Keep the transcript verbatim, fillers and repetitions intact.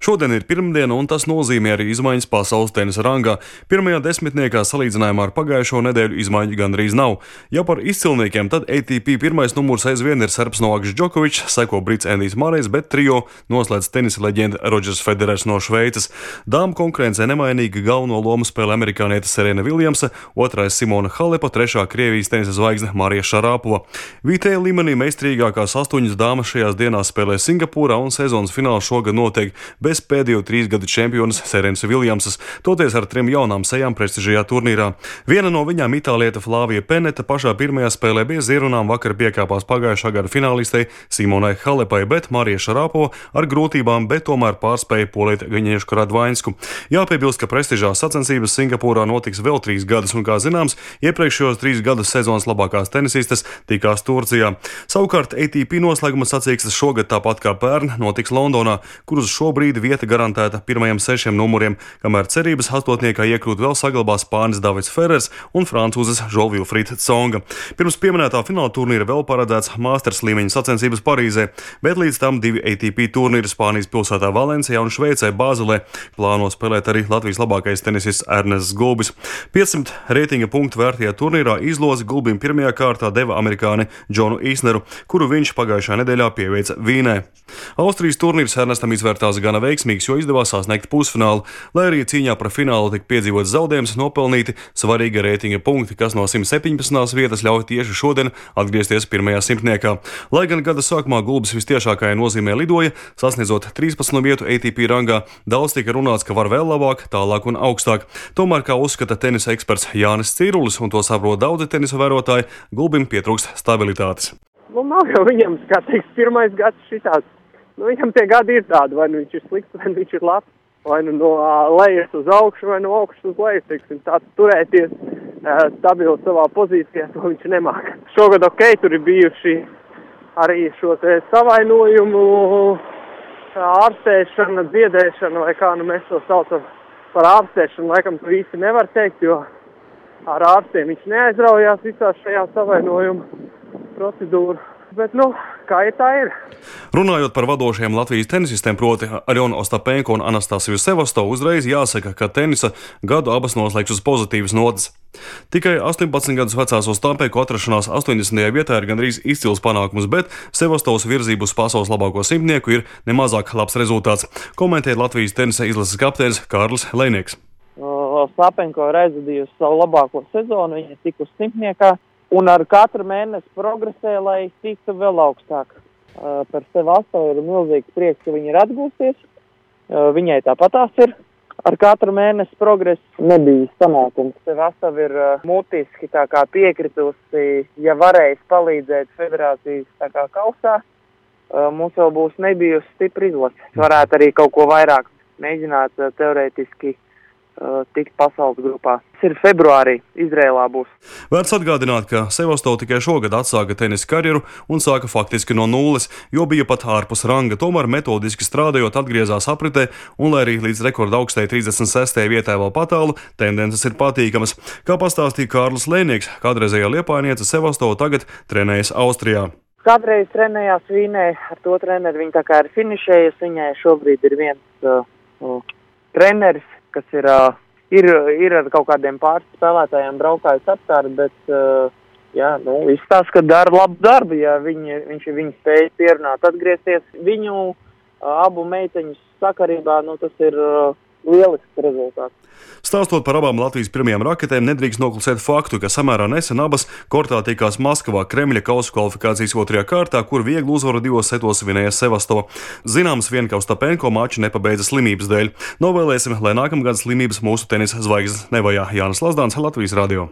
Šodien ir pirmdiena, un tas nozīmē arī izmaiņas pasaules tenisa rangā. Pirmajā desmitniekā salīdzinājumā ar pagājušo nedēļu izmaiņu gandrīz nav. Ja par izcilniekiem, tad A T P pirmais numurs aizvien ir serbs Novaks Džokovičs, seko brits Endijs Mārejs, bet trijo noslēdz tenisa leģenda Rodžers Federers no Šveices. Dāmu konkurencē nemainīgi galveno lomu spēlē amerikāniete Serena Viljamsa, otrais Simona Halepa, trešā Krievijas tenisa zvaigzne Marija Šarapova. Vietējā līmenī meistarīgākās astoņas dāmas šajās dienās spēlē Singapūrā, un sezonas fināls šogad notiek bez pēdējo trīs gadu čempionas Serenas Viljamsas, toties ar trim jaunām sejām prestižajā turnīrā. Viena no viņām, itāliete Flavija Peneta, pašā pirmajā spēlē bez ierunām vakar piekāpās pagājušā gada finālistei Simonai Halepai, bet Marija Šarapova ar grūtībām, bet tomēr pārspēja poliet Gaņiešku Radvainsku. Jāpiebilst, ka prestižās sacensības Singapūrā notiks vēl trīs gadus, un, kā zināms, iepriekšējos trīs gadus sezonas labākās tenisistes tikās Turcijā. Savukārt A T P noslēguma sacīkstes šogad tāpat kā pērn notiks Londonā, kur uz šobrīd vieta garantēta pirmajiem sešiem numuriem, kamēr cerības astotniekā iekļūt vēl saglabā spānis Davids Ferrers un francūzes Žo-Vilfrīds Tsonga. Pirms pieminētā fināla turnīra vēl paredzēts Masters līmeņa sacensības Parīzē, bet līdz tam divi A T P turnīri Spānijas pilsētā Valencijā un Šveicē Bāzelē plāno spēlēt arī Latvijas labākais tenisists Ernests Gulbis. piecsimt reitinga punktu vērtajā turnīrā izlozi Gulbim pirmajā kārtā deva amerikāni Džonu Īsneru, kuru viņš pagājušā nedēļā pieveica Vīnē. Austrijas turnīrs Ernestam izvērtās gana veiksmīgs, jo izdevās sasniegt pusfinālu, lai arī cīņā par finālu tika piedzīvots zaudējums, nopelnīti svarīga reitinga punkti, kas no simt septiņpadsmitās vietas ļauj tieši šodien atgriezties pirmajā simtniekā. Lai gan gada sākumā Gulbis vistiešākajā nozīmē lidoja, sasniedzot trīspadsmito vietu A T P rangā, daudz tika runāts, ka var vēl labāk, tālāk un augstāk. Tomēr, kā uzskata tenisa eksperts Jānis Cīrulis, un to saprot daudzi tenisa vērotāji, Gulbim pietrūkst stabilitātes. Nu, nav jau viņam, kā teiks, pirmais gads šitās. Nu, viņam tie gadi ir tādi, vai nu viņš ir slikts, vai nu viņš ir labs, vai nu no lejas uz augšu, vai no augšas uz leju, teiksim, tāds turēties stabili savā pozīcijā, to viņš nemāk. Šogad ok, tur ir bijuši arī šo te savainojumu, ārstēšana, dziedēšana, vai kā nu mēs to saucam par ārstēšanu, laikam to īsti nevar teikt, jo ar ārstiem viņš neaizraujās visā šajā savainojumu procedūru. Bet, nu, kā ir, tā ir. Runājot par vadošajiem Latvijas tenisistiem, proti Aļonu Ostapenko un Anastasiju Sevastovu, uzreiz jāsaka, ka tenisa gadu abas noslēgs uz pozitīvas notas. Tikai astoņpadsmit gadus vecās Ostapenko atrašanās astoņdesmitajā vietā ir gandrīz izcils panākums, bet Sevastovas virzību uz pasaules labāko simtnieku ir nemazāk labs rezultāts, komentē Latvijas tenisa izlases kapteinis Kārlis Lejnieks. Ostapenko ir aizvadījusi savu labāko sezonu, viņa ir tikusi simtniekā. Un ar katru mēnesi progresē, lai tiktu vēl augstāk. Uh, par Sevastovu ir milzīgs prieks, ka viņa ir atgūsties. Uh, viņai tāpatās ir. Ar katru mēnesi progresu nebija sanākums. Sevastova ir uh, mutiski tā kā piekritusi, ja varēs palīdzēt federācijas tā kā kausā. Uh, mums vēl būs nebijusi stipri izlase. Varētu arī kaut ko vairāk mēģināt uh, teorētiski tikt pasaules grupā. Tas ir februārī, Izrēlā būs. Vērts atgādināt, ka Sevastova tikai šogad atsāka tenisa karjeru un sāka faktiski no nulles, jo bija pat ārpus ranga, tomēr metodiski strādājot atgriezās apritē, un lai arī līdz rekorda augstai trīsdesmit sestajai vietai vēl patālu, tendences ir patīkamas. Kā pastāstīja Kārlis Lejnieks, kādreizējā Liepājniece Sevastova tagad trenējas Austrijā. Kādreiz trenējās Vīnē, ar to treneri viņa tā kā ir finišējusi, viņai šobrīd ir viens uh, uh, treneris, kas ir, uh, ir, ir ar kaut kādiem pāris spēlētājiem braukājis apkārt, bet, uh, jā, nu, izstāst, ka dara labu darbu, ja viņi, viņš ir viņu spējas pierunāt, atgriezties. Viņu uh, abu meiteņu sakarībā, nu, tas ir uh, lielisks rezultāts. Stāstot par abām Latvijas pirmajām raketēm, nedrīkst noklusēt faktu, ka samērā nesen abas kortā tikās Maskavā Kremļa kausa kvalifikācijas otrajā kārtā, kur vieglu uzvaru divos setos vinēja Sevastova. Zināms vien, ka Ostapenko maču nepabeidza slimības dēļ. Novēlēsim, lai nākamgad slimības mūsu tenisa zvaigznes nevajā. Jānis Lazdāns, Latvijas radio.